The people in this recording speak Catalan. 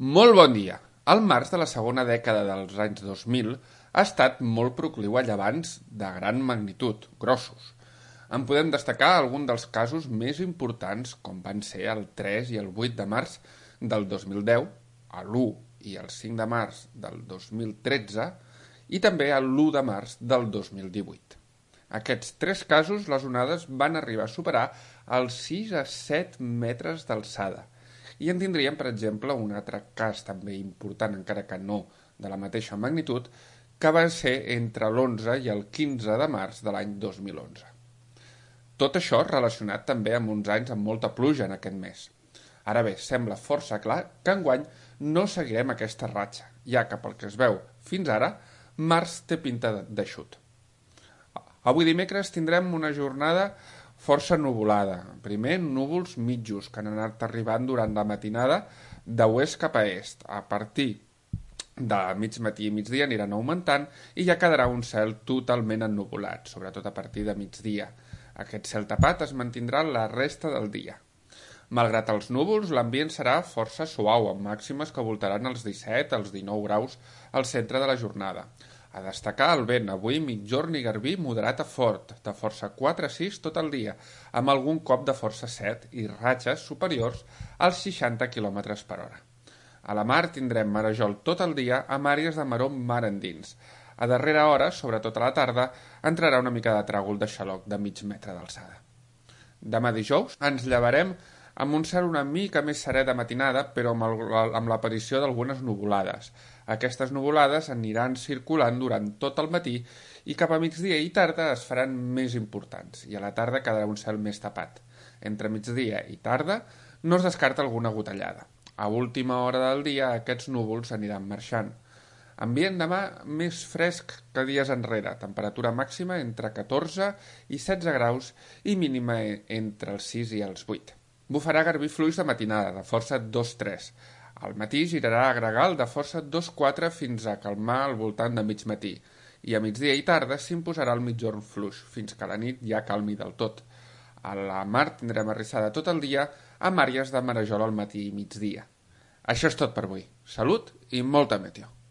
Molt bon dia! El març de la segona dècada dels anys 2000 ha estat molt procliu a llevants de gran magnitud, grossos. En podem destacar algun dels casos més importants, com van ser el 3 i el 8 de març del 2010, l'1 i el 5 de març del 2013 i també l'1 de març del 2018. Aquests tres casos, les onades van arribar a superar els 6 a 7 metres d'alçada. I en tindríem, per exemple, un altre cas també important, encara que no de la mateixa magnitud, que va ser entre l'11 i el 15 de març de l'any 2011. Tot això relacionat també amb uns anys amb molta pluja en aquest mes. Ara bé, sembla força clar que enguany no seguirem aquesta ratxa, ja que pel que es veu fins ara, març té pinta d'eixut. Avui dimecres tindrem una jornada força nuvolada. Primer, núvols mitjos que han anat arribant durant la matinada d'oest cap a est. A partir de mig matí i migdia aniran augmentant i ja quedarà un cel totalment ennuvolat, sobretot a partir de migdia. Aquest cel tapat es mantindrà la resta del dia. Malgrat els núvols, l'ambient serà força suau, amb màximes que voltaran els 17 als 19 graus al centre de la jornada. A destacar el vent, avui migjorn i garbí moderat a fort, de força 4 a 6 tot el dia, amb algun cop de força 7 i ratxes superiors als 60 km per hora. A la mar tindrem marejol tot el dia amb àrees de maror mar endins. A darrera hora, sobretot a la tarda, entrarà una mica de tràgol de xaloc de mig metre d'alçada. Demà dijous ens llevarem amb un cel una mica més serè de matinada, però amb l'aparició d'algunes nuvolades. Aquestes nuvolades aniran circulant durant tot el matí i cap a migdia i tarda es faran més importants, i a la tarda quedarà un cel més tapat. Entre migdia i tarda no es descarta alguna gotellada. A última hora del dia aquests núvols aniran marxant. Ambient demà més fresc que dies enrere, temperatura màxima entre 14 i 16 graus i mínima entre els 6 i els 8. Bufarà garbí fluix de matinada, de força 2-3. Al matí girarà a gregal de força 2-4 fins a calmar al voltant de mig matí. I a migdia i tarda s'imposarà el migjorn fluix, fins que la nit ja calmi del tot. A la mar tindrem arrissada tot el dia amb àrees de marejol al matí i migdia. Això és tot per avui. Salut i molta meteo.